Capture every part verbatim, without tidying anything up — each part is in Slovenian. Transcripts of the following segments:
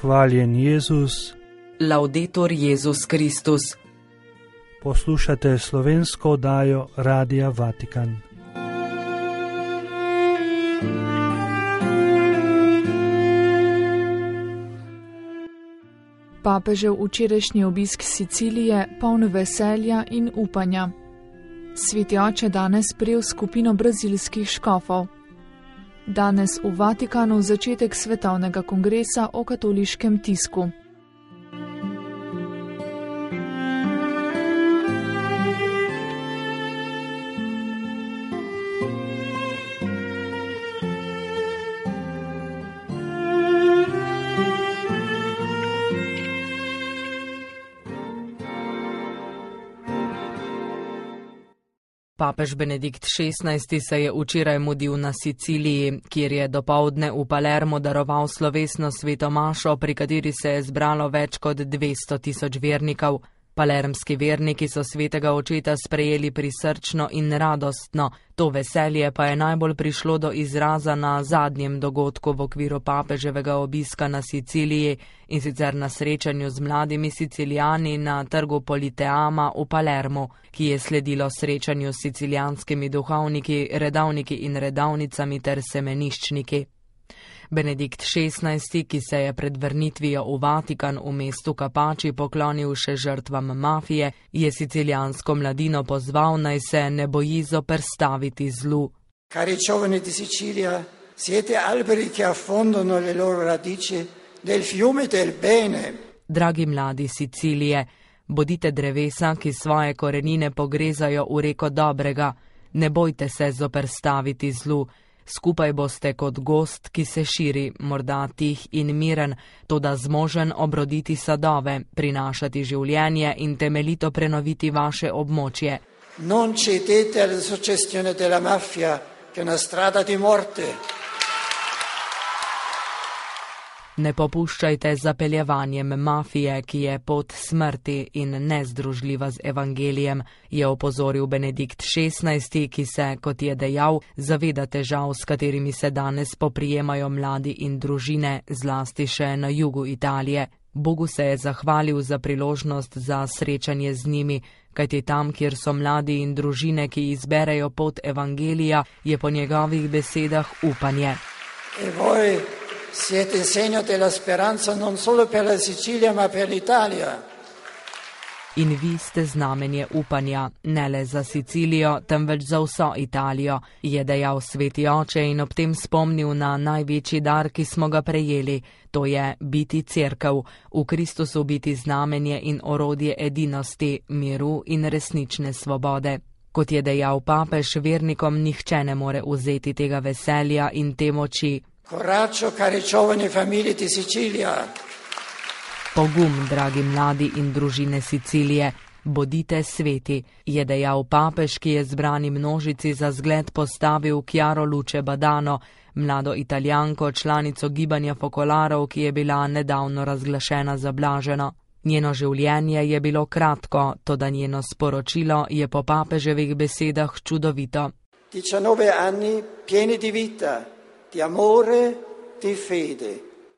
Hvaljen Jezus. Laudetur Jezus Kristus. Poslušate slovensko oddajo Radia Vatikan. Papežev včerajšnji obisk Sicilije poln veselja in upanja. Sveti oče danes sprejel skupino brazilskih škofov. Danes v Vatikanu začetek svetovnega kongresa o katoliškem tisku. Papež Benedikt šestnajsti se je včeraj mudil na Siciliji, kjer je dopoldne v Palermo daroval slovesno sveto mašo, pri kateri se je zbralo več kot dvesto tisoč vernikov. Palermski verniki so svetega očeta sprejeli prisrčno in radostno, to veselje pa je najbolj prišlo do izraza na zadnjem dogodku v okviru papeževega obiska na Siciliji, in sicer na srečanju z mladimi Sicilijani na trgu Politeama v Palermu, ki je sledilo srečanju s sicilijanskimi duhovniki, redavniki in redavnicami ter semeniščniki. Benedikt šestnajsti, ki se je pred vrnitvijo v Vatikan v mestu Capaci poklonil še žrtvam mafije, je sicilijansko mladino pozval, naj se ne boji zoperstaviti zlu. Cari giovani di Sicilia, siete alberi che affondano le loro radici nel fiume del bene. Dragi mladi Sicilije, bodite drevesa, ki svoje korenine pogrezajo v reko dobrega, ne bojte se zoperstaviti zlu. Skupaj boste kot gost, ki se širi, morda tih in miren, toda zmožen obroditi sadove, prinašati življenje in temeljito prenoviti vaše območje. Non cedete alla suggestione della mafia, che è una strada di morte. Ne popuščajte zapeljevanjem mafije, ki je pot smrti in nezdružljiva z evangelijem, je opozoril Benedikt šestnajsti, ki se, kot je dejal, zaveda težav, s katerimi se danes poprijemajo mladi in družine, zlasti še na jugu Italije. Bogu se je zahvalil za priložnost za srečanje z njimi, kajti tam, kjer so mladi in družine, ki izberejo pot evangelija, je po njegovih besedah upanje. E voi siete il segno della speranza non solo per la Sicilia, ma per l'Italia. In vi ste znamenje upanja, ne le za Sicilijo, temveč za vso Italijo, je dejal sveti oče in ob tem spomnil na največji dar, ki smo ga prejeli, to je biti cerkev, v Kristusu biti znamenje in orodje edinosti, miru in resnične svobode. Kot je dejal papež, vernikom nihče ne more vzeti tega veselja in te moči. Coraggio, cari giovani famiglie di Sicilia. Pogum, dragi mladi in družine Sicilije, bodite sveti, je dejal papež, ki je zbrani množici za zgled postavil Chiara Luce Badano, mlado Italijanko, članico gibanja fokolarov, ki je bila nedavno razglašena za blaženo. Njeno življenje je bilo kratko, toda njeno sporočilo je po papeževih besedah čudovito. diciannove anni pieni di vita, di amore, di fede.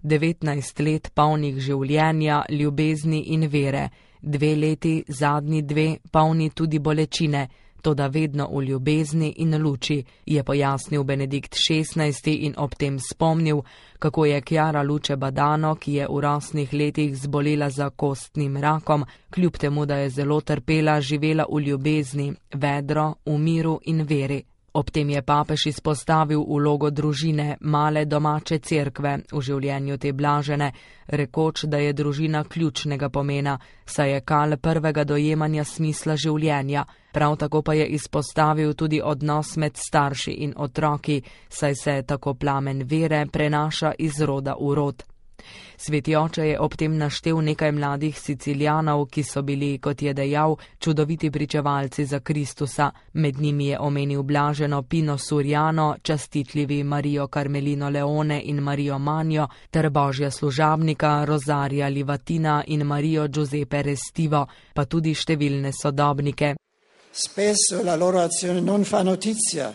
devetnajst let polnih življenja, ljubezni in vere, dve leti, zadnji dve, polni tudi bolečine, toda vedno v ljubezni in luči, je pojasnil Benedikt šestnajsti in ob tem spomnil, kako je Chiara Luce Badano, ki je v rosnih letih zbolela za kostnim rakom, kljub temu, da je zelo trpela, živela v ljubezni, vedro, v miru in veri. Ob tem je papež izpostavil vlogo družine, male domače cerkve v življenju te blažene, rekoč, da je družina ključnega pomena, saj je kal prvega dojemanja smisla življenja. Prav tako pa je izpostavil tudi odnos med starši in otroki, saj se tako plamen vere prenaša iz roda v rod. Sveti oče je ob tem naštel nekaj mladih Sicilijanov, ki so bili, kot je dejal, čudoviti pričevalci za Kristusa. Med njimi je omenil blaženo Pino Suriano, častitljivi Marijo Carmelino Leone in Marijo Manjo, ter božja služabnika Rosaria Livatina in Marijo Giuseppe Restivo, pa tudi številne sodobnike. Spesso la loro azione non fa notizia,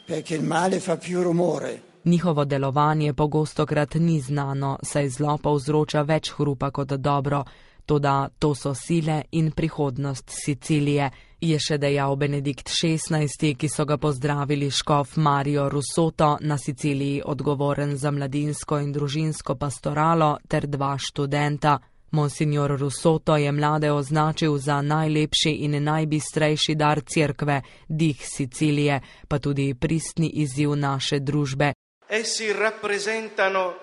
perché il male fa più rumore. Njihovo delovanje pogostokrat ni znano, saj zlo povzroča več hrupa kot dobro, toda to so sile in prihodnost Sicilije, je še dejal Benedikt šestnajsti, ki so ga pozdravili škof Mario Russotto, na Siciliji odgovoren za mladinsko in družinsko pastoralo, ter dva študenta. Monsignor Russotto je mlade označil za najlepši in najbistrejši dar cerkve, dih Sicilije, pa tudi pristni izziv naše družbe. Essi rappresentano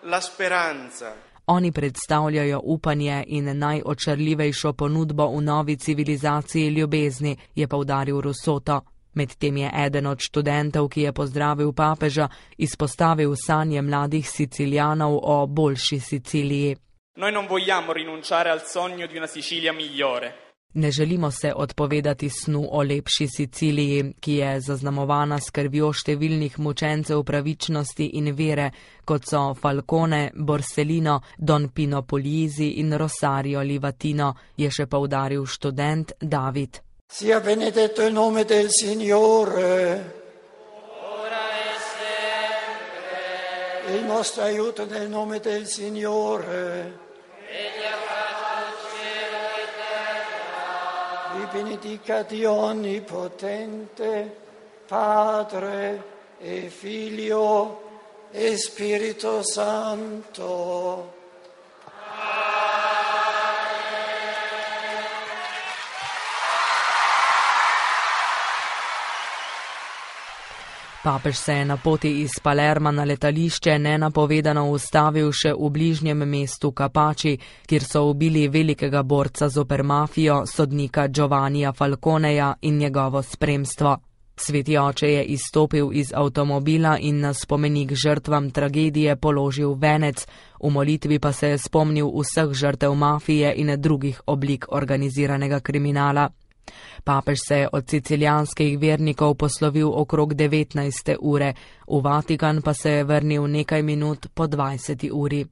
la speranza. Oni predstavljajo upanje in najočarljivejšo ponudbo v novi civilizaciji ljubezni, je poudaril Russotto. Medtem je eden od študentov, ki je pozdravil papeža, izpostavil sanje mladih Sicilijanov o boljši Siciliji. Noi non vogliamo rinunciare al sogno di una Sicilia migliore. Ne želimo se odpovedati snu o lepši Siciliji, ki je zaznamovana s krvjo številnih mučencev pravičnosti in vere, kot so Falcone, Borsellino, Don Pino Puglisi in Rosario Livatino, je še poudaril študent David. Sia benedetto il nome del Signore. Ora e sempre. Il nostro aiuto nel nome del Signore. Vi benedica Dio Onnipotente, Padre e Figlio e Spirito Santo. Papež se je na poti iz Palerma na letališče nenapovedano ustavil še v bližnjem mestu Capaci, kjer so ubili velikega borca zoper mafijo, sodnika Giovannija Falconeja in njegovo spremstvo. Sveti oče je izstopil iz avtomobila in na spomenik žrtvam tragedije položil venec, v molitvi pa se je spomnil vseh žrtev mafije in drugih oblik organiziranega kriminala. Papež se je od sicilijanskih vernikov poslovil okrog devetnajste ure, v Vatikan pa se je vrnil nekaj minut po dvajseti uri.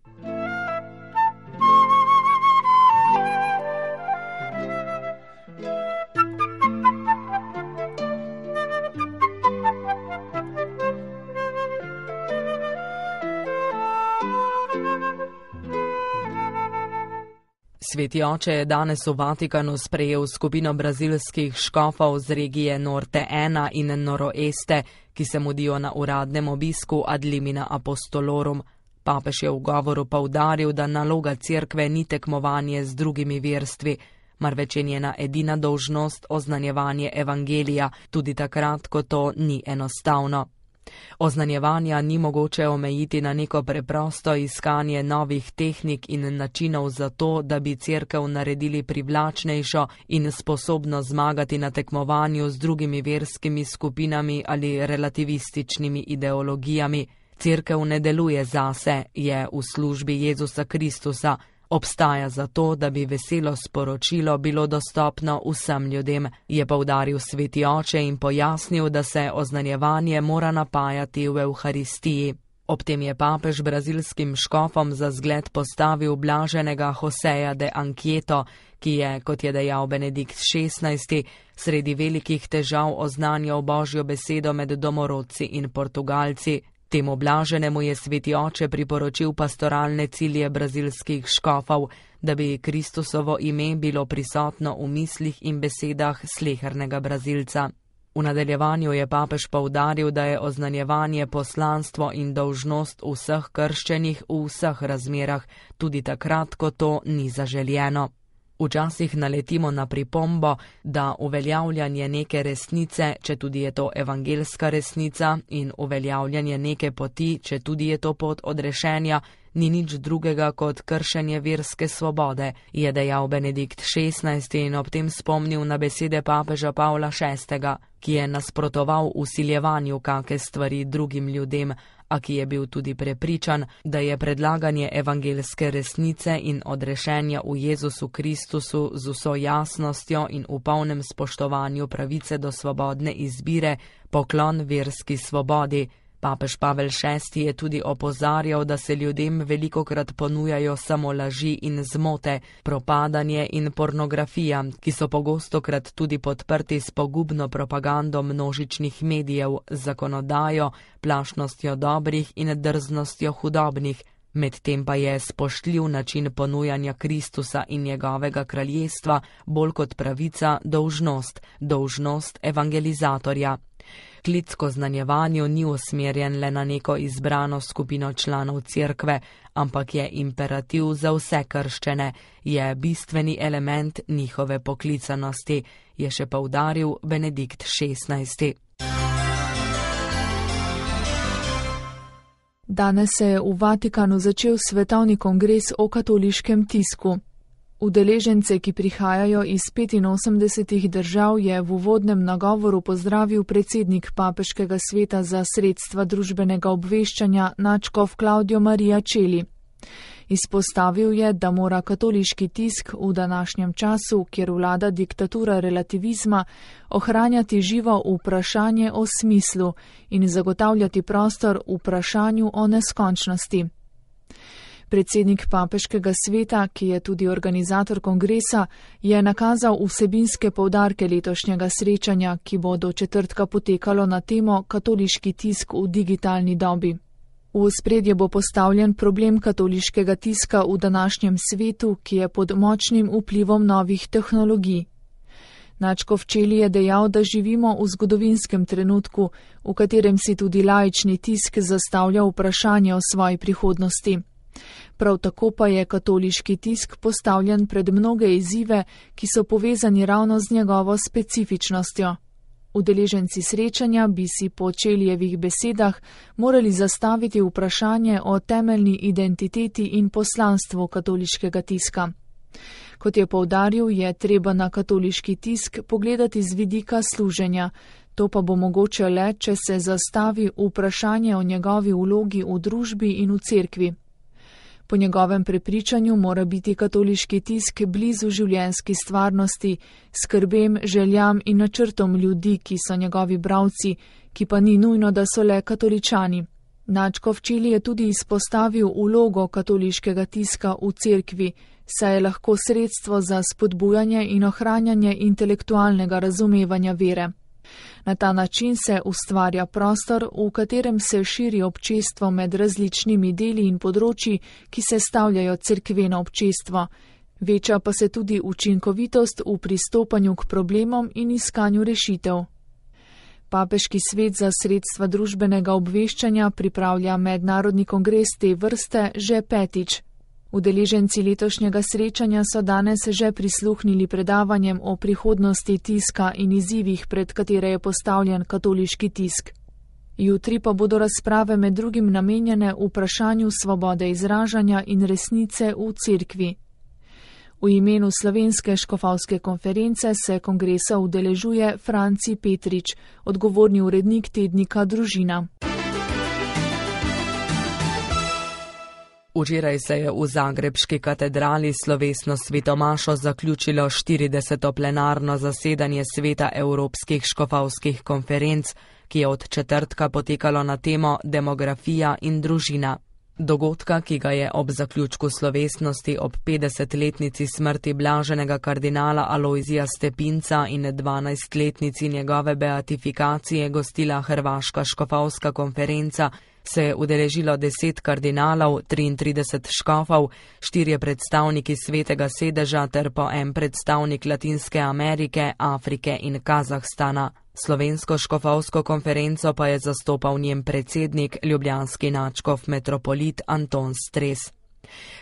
Sveti oče je danes v Vatikanu sprejel skupino brazilskih škofov z regije Norte ena in Noroeste, ki se mudijo na uradnem obisku ad limina apostolorum. Papež je v govoru poudaril, da naloga cerkve ni tekmovanje z drugimi verstvi, marveč je njena edina dolžnost oznanjevanje evangelija, tudi takrat, ko to ni enostavno. Oznanjevanja ni mogoče omejiti na neko preprosto iskanje novih tehnik in načinov za to, da bi cerkev naredili privlačnejšo in sposobno zmagati na tekmovanju z drugimi verskimi skupinami ali relativističnimi ideologijami. Cerkev ne deluje zase, je v službi Jezusa Kristusa, obstaja zato, da bi veselo sporočilo bilo dostopno vsem ljudem, je poudaril sveti oče in pojasnil, da se oznanjevanje mora napajati v Evharistiji. Ob tem je papež brazilskim škofom za zgled postavil blaženega Joseja de Anquieto, ki je, kot je dejal Benedikt šestnajsti, sredi velikih težav oznanjal Božjo besedo med domorodci in Portugalci. Temu blaženemu je sveti oče priporočil pastoralne cilje brazilskih škofov, da bi Kristusovo ime bilo prisotno v mislih in besedah slehernega Brazilca. V nadaljevanju je papež poudaril, da je oznanjevanje poslanstvo in dolžnost vseh krščenih v vseh razmerah, tudi takrat, ko to ni zaželjeno. Včasih naletimo na pripombo, da uveljavljanje neke resnice, če tudi je to evangelska resnica, in uveljavljanje neke poti, če tudi je to pot odrešenja, ni nič drugega kot kršenje verske svobode, je dejal Benedikt šestnajsti in ob tem spomnil na besede papeža Pavla šestega, ki je nasprotoval vsiljevanju kake stvari drugim ljudem, a ki je bil tudi prepričan, da je predlaganje evangelske resnice in odrešenja v Jezusu Kristusu z vso jasnostjo in v polnem spoštovanju pravice do svobodne izbire poklon verski svobodi, Papež Pavel šesti je tudi opozarjal, da se ljudem velikokrat ponujajo samo laži in zmote, propadanje in pornografija, ki so pogostokrat tudi podprti s pogubno propagando množičnih medijev, zakonodajo, plašnostjo dobrih in drznostjo hudobnih. Medtem pa je spoštljiv način ponujanja Kristusa in njegovega kraljestva bolj kot pravica dolžnost, dolžnost evangelizatorja. Klic k oznanjevanju ni usmerjen le na neko izbrano skupino članov cerkve, ampak je imperativ za vse krščene, je bistveni element njihove poklicanosti, je še poudaril Benedikt šestnajsti. Danes se je v Vatikanu začel svetovni kongres o katoliškem tisku. Udeležence, ki prihajajo iz petinosemdesetih držav, je v uvodnem nagovoru pozdravil predsednik Papeškega sveta za sredstva družbenega obveščanja nadškof Claudio Maria Celli. Izpostavil je, da mora katoliški tisk v današnjem času, kjer vlada diktatura relativizma, ohranjati živo vprašanje o smislu in zagotavljati prostor vprašanju o neskončnosti. Predsednik Papeškega sveta, ki je tudi organizator kongresa, je nakazal vsebinske poudarke letošnjega srečanja, ki bo do četrtka potekalo na temo katoliški tisk v digitalni dobi. V ospredje bo postavljen problem katoliškega tiska v današnjem svetu, ki je pod močnim vplivom novih tehnologij. Nadškof Celli je dejal, da živimo v zgodovinskem trenutku, v katerem si tudi laični tisk zastavlja vprašanje o svoji prihodnosti. Prav tako pa je katoliški tisk postavljen pred mnoge izzive, ki so povezani ravno z njegovo specifičnostjo. Udeleženci srečanja bi si po Cellijevih besedah morali zastaviti vprašanje o temeljni identiteti in poslanstvu katoliškega tiska. Kot je poudaril, je treba na katoliški tisk pogledati z vidika služenja, to pa bo mogoče le, če se zastavi vprašanje o njegovi vlogi v družbi in v cerkvi. Po njegovem prepričanju mora biti katoliški tisk blizu življenjski stvarnosti, skrbem, željam in načrtom ljudi, ki so njegovi bralci, ki pa ni nujno, da so le katoličani. Nadškof Celli je tudi izpostavil vlogo katoliškega tiska v cerkvi, saj je lahko sredstvo za spodbujanje in ohranjanje intelektualnega razumevanja vere. Na ta način se ustvarja prostor, v katerem se širi občestvo med različnimi deli in področji, ki se stavljajo cerkveno občestvo. Veča pa se tudi učinkovitost v pristopanju k problemom in iskanju rešitev. Papeški svet za sredstva družbenega obveščanja pripravlja mednarodni kongres te vrste že petič. Udeleženci letošnjega srečanja so danes že prisluhnili predavanjem o prihodnosti tiska in izzivih, pred katere je postavljen katoliški tisk. Jutri pa bodo razprave med drugim namenjene vprašanju svobode izražanja in resnice v cerkvi. V imenu Slovenske škofovske konference se kongresa udeležuje Franci Petrič, odgovorni urednik tednika Družina. Včeraj se je v zagrebški katedrali slovesno svetomašo zaključilo štirideseto plenarno zasedanje Sveta evropskih škofovskih konferenc, ki je od četrtka potekalo na temo demografija in družina. Dogodka, ki ga je ob zaključku slovesnosti ob petdesetletnici smrti blaženega kardinala Alojzija Stepinca in dvanajstletnici njegove beatifikacije gostila Hrvaška škofovska konferenca, se je udeležilo deset kardinalov, triintrideset škofov, štirje predstavniki Svetega sedeža ter po en predstavnik Latinske Amerike, Afrike in Kazahstana. Slovensko škofovsko konferenco pa je zastopal njen predsednik, ljubljanski nadškof metropolit Anton Stres.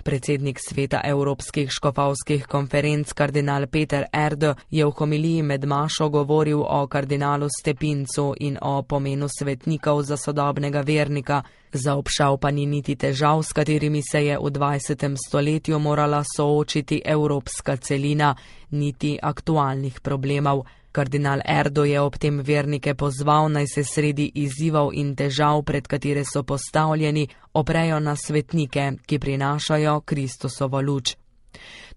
Predsednik Sveta evropskih škofovskih konferenc kardinal Peter Erdo je v homiliji med mašo govoril o kardinalu Stepincu in o pomenu svetnikov za sodobnega vernika, zaobšal pa ni niti težav, s katerimi se je v dvajsetem stoletju morala soočiti evropska celina, niti aktualnih problemov. Kardinal Erdo je ob tem vernike pozval, naj se sredi izzivov in težav, pred katere so postavljeni, oprejo na svetnike, ki prinašajo Kristusovo luč.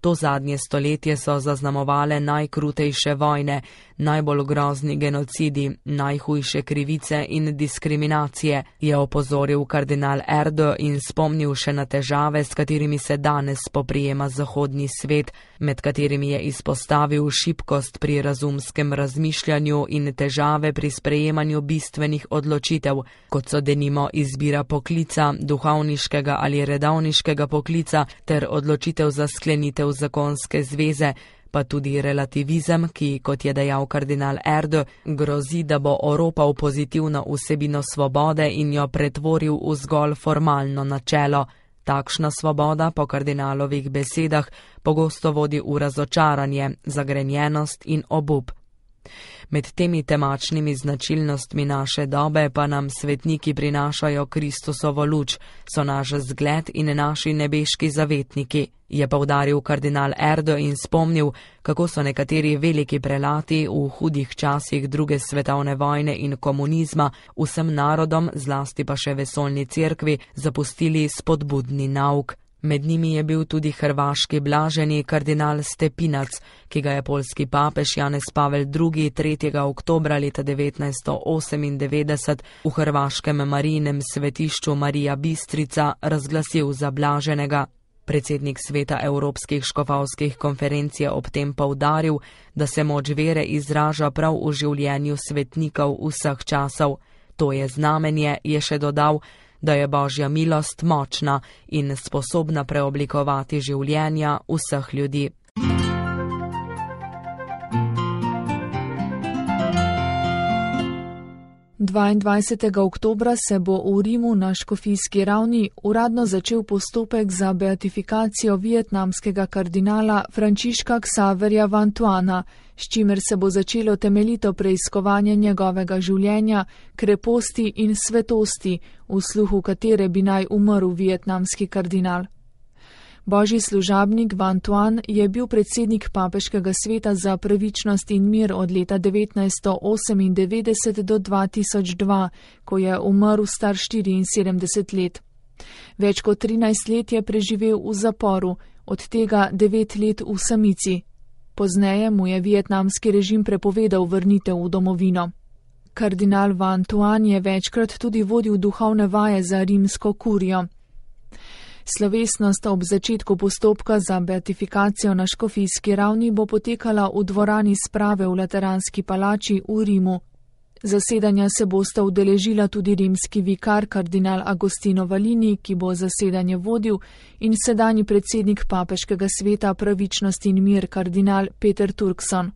To zadnje stoletje so zaznamovale najkrutejše vojne, najbolj grozni genocidi, najhujše krivice in diskriminacije, je opozoril kardinal Erdo in spomnil še na težave, s katerimi se danes spoprijema zahodni svet, med katerimi je izpostavil šibkost pri razumskem razmišljanju in težave pri sprejemanju bistvenih odločitev, kot so denimo izbira poklica, duhovniškega ali redovniškega poklica ter odločitev za sklenitev zakonske zveze, pa tudi relativizem, ki, kot je dejal kardinal Erdo, grozi, da bo oropal pozitivno vsebino svobode in jo pretvoril v zgolj formalno načelo. Takšna svoboda, po kardinalovih besedah, pogosto vodi v razočaranje, zagrenjenost in obup. Med temi temačnimi značilnostmi naše dobe pa nam svetniki prinašajo Kristusovo luč, so naš zgled in naši nebeški zavetniki, je poudaril kardinal Erdo in spomnil, kako so nekateri veliki prelati v hudih časih druge svetovne vojne in komunizma vsem narodom, zlasti pa še vesoljni cerkvi, zapustili spodbudni nauk. Med njimi je bil tudi hrvaški blaženi kardinal Stepinac, ki ga je poljski papež Janez Pavel drugi. tretjega oktobra leta devetnajststo osemindevetdeset v hrvaškem Marijinem svetišču Marija Bistrica razglasil za blaženega. Predsednik sveta Evropskih škofovskih konferenc je ob tem poudaril, da se moč vere izraža prav v življenju svetnikov vseh časov. To je znamenje, je še dodal, da je Božja milost močna in sposobna preoblikovati življenja vseh ljudi. dvaindvajsetega oktobra se bo v Rimu na škofijski ravni uradno začel postopek za beatifikacijo vietnamskega kardinala Frančiška Ksaverja Vantuana, s čimer se bo začelo temeljito preiskovanje njegovega življenja, kreposti in svetosti, v sluhu katere bi naj umrl vietnamski kardinal. Božji služabnik Vantuan je bil predsednik papeškega sveta za pravičnost in mir od leta devetnajststo osemindevetdeset do dva tisoč dva, ko je umrl star štiriinsedemdeset let. Več kot trinajst let je preživel v zaporu, od tega devet let v samici. Pozneje mu je vietnamski režim prepovedal vrnitev v domovino. Kardinal Vantuan je večkrat tudi vodil duhovne vaje za rimsko kurijo. Slovesnost ob začetku postopka za beatifikacijo na škofijski ravni bo potekala v dvorani sprave v Lateranski palači v Rimu. Zasedanja se bosta udeležila tudi rimski vikar kardinal Agostino Valini, ki bo zasedanje vodil, in sedanji predsednik papeškega sveta pravičnost in mir kardinal Peter Turkson.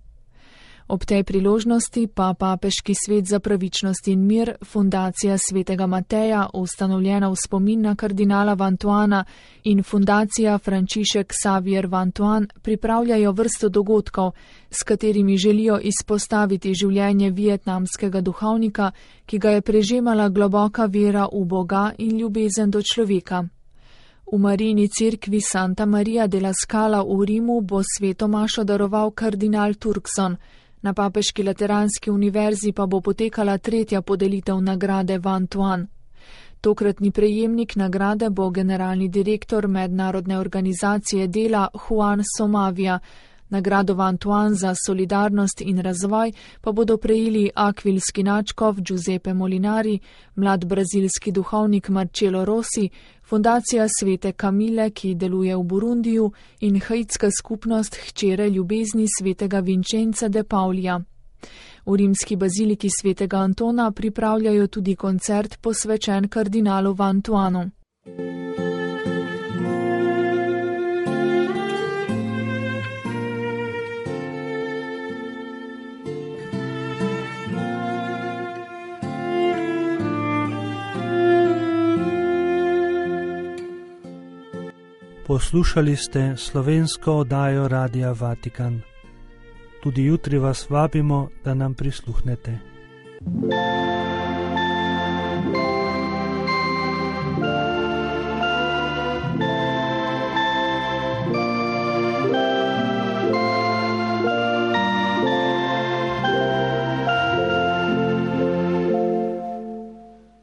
Ob tej priložnosti pa papeški svet za pravičnost in mir, fundacija svetega Mateja, ustanovljena v spomin na kardinala Vantuana, in fundacija Frančišek Xavier Vantuan pripravljajo vrsto dogodkov, s katerimi želijo izpostaviti življenje vietnamskega duhovnika, ki ga je prežemala globoka vera v Boga in ljubezen do človeka. V Marijini cerkvi Santa Maria della Scala v Rimu bo sveto mašo daroval kardinal Turkson. Na papeški Lateranski univerzi pa bo potekala tretja podelitev nagrade Vantuan. Tokratni prejemnik nagrade bo generalni direktor mednarodne organizacije dela Juan Somavia. Nagrado Vantuan za solidarnost in razvoj pa bodo prejeli akvilski nadškof Giuseppe Molinari, mlad brazilski duhovnik Marcelo Rossi, fundacija svete Kamile, ki deluje v Burundiju, in haitska skupnost hčere ljubezni svetega Vincenza de Paulija. V rimski baziliki svetega Antona pripravljajo tudi koncert posvečen kardinalu Vantuanu. Poslušali ste slovensko oddajo Radia Vatikan. Tudi jutri vas vabimo, da nam prisluhnete.